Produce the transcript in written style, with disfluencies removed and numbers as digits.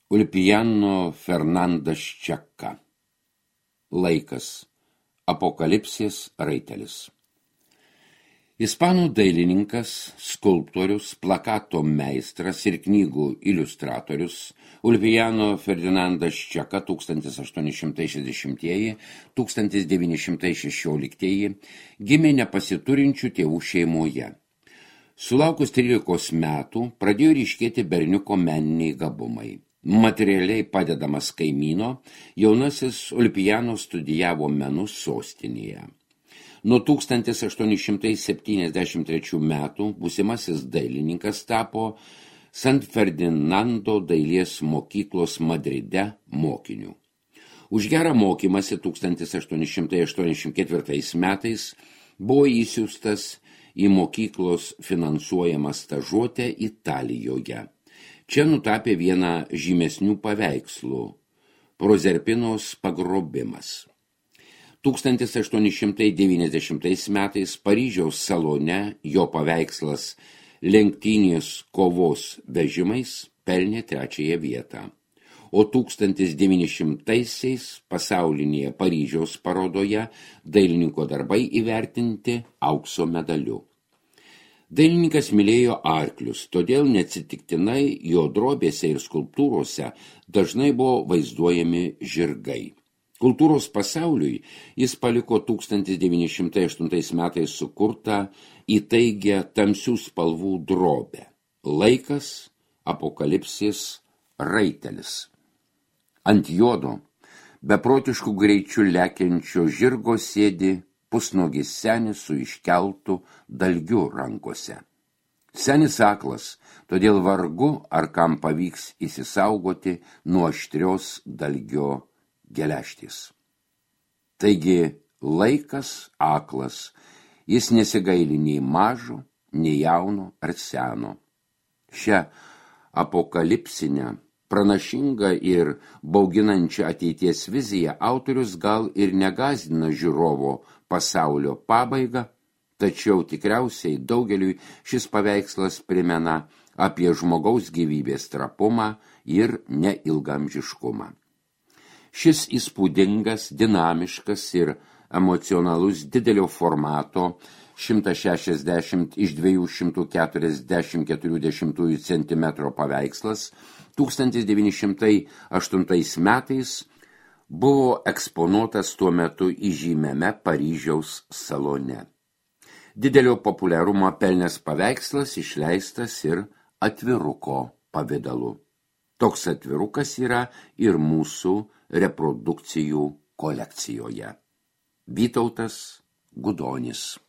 Ulpiano Fernandas Čeka. Laikas. Apokalipsės raitelis. Ispanų dailininkas, skulptorius, plakato meistras ir knygų iliustratorius Ulpiano Fernandas Čeka 1860–1916 gimė nepasiturinčių tėvų šeimoje. Sulaukus 13 metų pradėjo ryškėti berniuko meniniai gabumai. Materialiai padedamas kaimyno, jaunasis Ulpiano studijavo menus sostinėje. Nuo 1873 metų būsimasis dailininkas tapo San Ferdinando dailės mokyklos Madride mokiniu. Už gerą mokymąsi 1884 metais buvo įsiųstas į mokyklos finansuojamą stažuotę Italijoje. Čia nutapė vieną žymesnių paveikslų – Prozerpinos pagrobimas. 1890 metais Paryžiaus salone jo paveikslas lenktynės kovos vežimais pelnė 3 vietą, o 1900-aisiais pasaulinėje Paryžiaus parodoje dailininko darbai įvertinti aukso medaliu. Dailininkas mylėjo arklius, todėl neatsitiktinai jo drobėse ir skulptūrose dažnai buvo vaizduojami žirgai. Kultūros pasauliui jis paliko 1908 metais sukurtą įtaigę tamsių spalvų drobę. Laikas, apokalipsės raitelis. Ant jodo, beprotiškų greičių lekiančio žirgo sėdi pusnuogis senis su iškeltu dalgiu rankose. Senis aklas, todėl vargu ar kam pavyks įsisaugoti nuo aštrios dalgio geležtės. Taigi laikas aklas, jis nesigaili nei mažo, nei jauno ar seno. Šią apokalipsinę, pranašingą ir bauginančią ateities viziją autorius gal ir negąsdina žiūrovo pasaulio pabaigą, tačiau tikriausiai daugeliui šis paveikslas primena apie žmogaus gyvybės trapumą ir neilgamžiškumą. Šis įspūdingas, dinamiškas ir emocionalus didelio formato 160 x 244 cm paveikslas 1908 metais buvo eksponuotas tuo metu įžymiame Paryžiaus salone. Didelio populiarumo pelnęs paveikslas išleistas ir atviruko pavidalu. Toks atvirukas yra ir mūsų reprodukcijų kolekcijoje. Vytautas Gudonis.